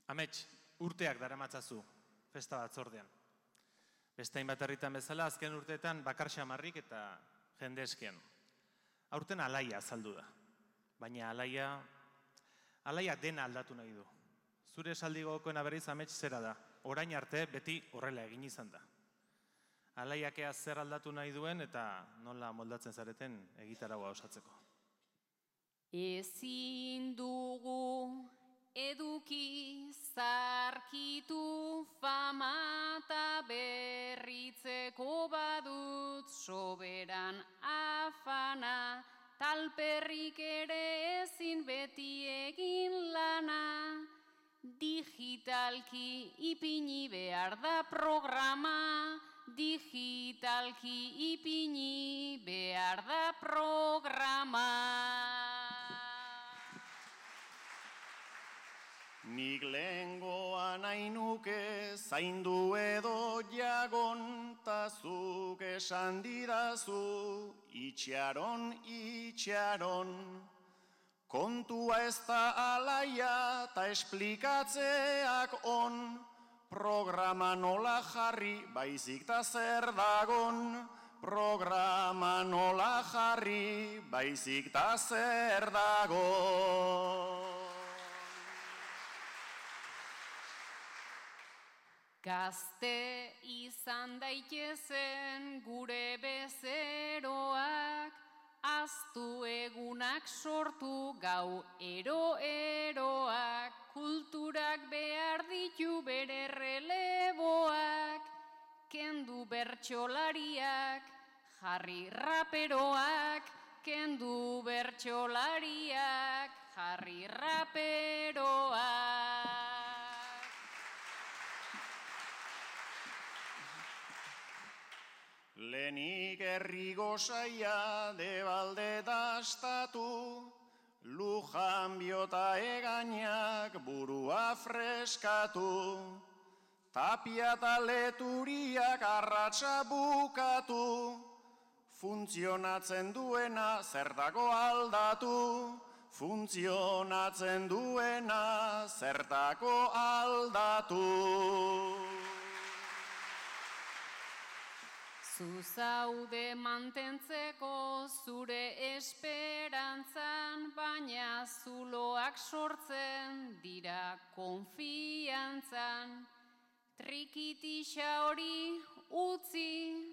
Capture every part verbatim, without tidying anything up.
Amets, urteak daramatzazu festa batzordean. Beste hainbat herritan bezala, azken urteetan bakar xamarrik eta jende eskean. Aurten alaia azaldu da. Baina alaia, alaia dena aldatu nahi du. Zure esaldi gogokoena berriz amets zera da. Orain arte beti horrela egin izan da. Alaiakea zer aldatu nahi duen eta nola moldatzen zareten egitaragoa osatzeko. Ezin dugu eduki zarkitu fama eta berritzeko badut soberan afana, talperrik ere ezin beti egin lana, digitalki ipini behar da programa, digitalki ipini behar da programa. Nik lehengoan ainuke zaindu edo jagon, ta zuk esan didazu itxaron, itxaron. Kontua ez da alaia ta esplikatzeak on, programa nola jarri baizik ta zer dagon, programa nola jarri baizik ta zer dagon. Gazte izan daitezen gure bezeroak, aztu egunak sortu gau ero-eroak, kulturak behar ditu bere releboak, kendu bertsolariak, jarri raperoak, kendu bertsolariak, jarri raperoak. Lehenik herri gozaia debalde dastatu, lujan biota egainak burua freskatu, tapia eta leturiak arratsa bukatu, funtzionatzen duena zertako aldatu, funtzionatzen duena zertako aldatu. Zuzaude mantentzeko zure esperantzan, baina zuloak sortzen dira konfiantzan. Trikitixa hori utzi,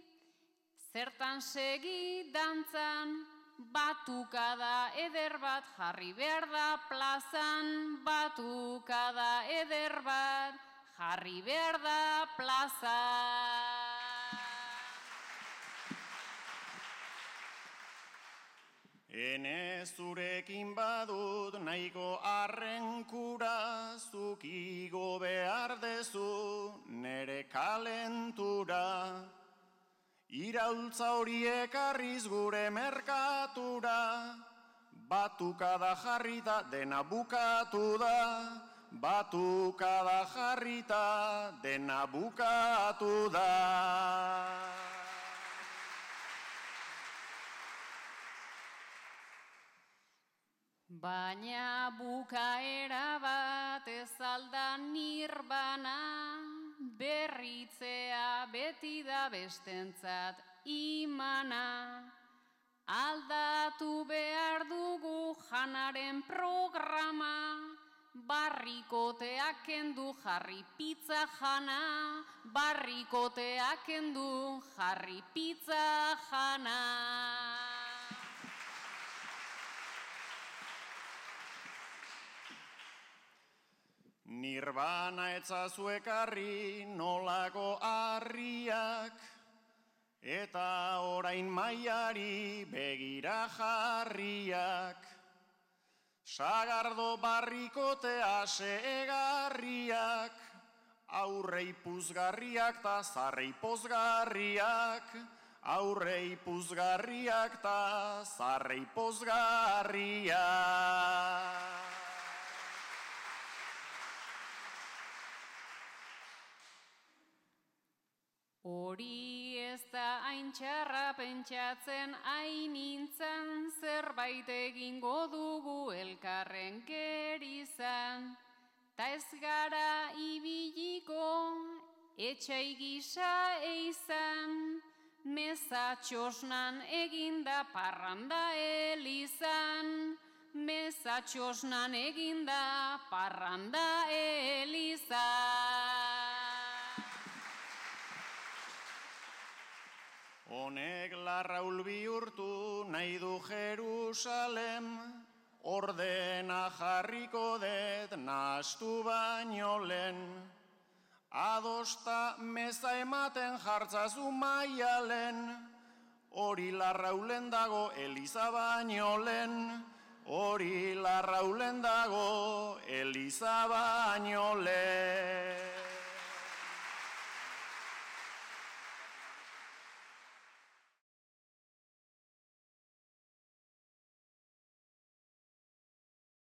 zertan segi dantzan, batukada eder bat jarri behar da plazan, batukada eder bat jarri behar da plazan. Ene zurekin badut nahiko arrenkura, zuk igo behar dezu nere kalentura. Iraultza horiek arriz gure merkatura, batukada jarrita dena bukatu da, batukada jarrita dena bukatu da. Baina bukaera bat ez alda nirbana, berritzea beti da bestentzat imana. Aldatu behar dugu janaren programa, barrikoteak kendu jarri pizza jana, barrikoteak kendu jarri pizza jana. Nirbana etzazu ekarri nolako harriak, eta orain maiari begira jarriak. Sagardo barrikote asegarriak, aurrei puzgarriak ta zarrei pozgarriak, aurrei puzgarriak ta zarrei pozgarriak. Hori ez da hain txarra pentsatzen ainintzan, zerbait egingo dugu elkarren gerizan. ta ez gara ibiliko, etxai gisa eizan, meza txosnan eginda parranda elizan, meza txosnan eginda parranda elizan. Honek Larraul bihurtu nahi du Jerusalem, ordena jarriko det nahastu baino lehen. Adosta meza ematen jartzazu maialen, hori Larraulen dago Eliza baino lehen, hori Larraulen dago Eliza baino lehen.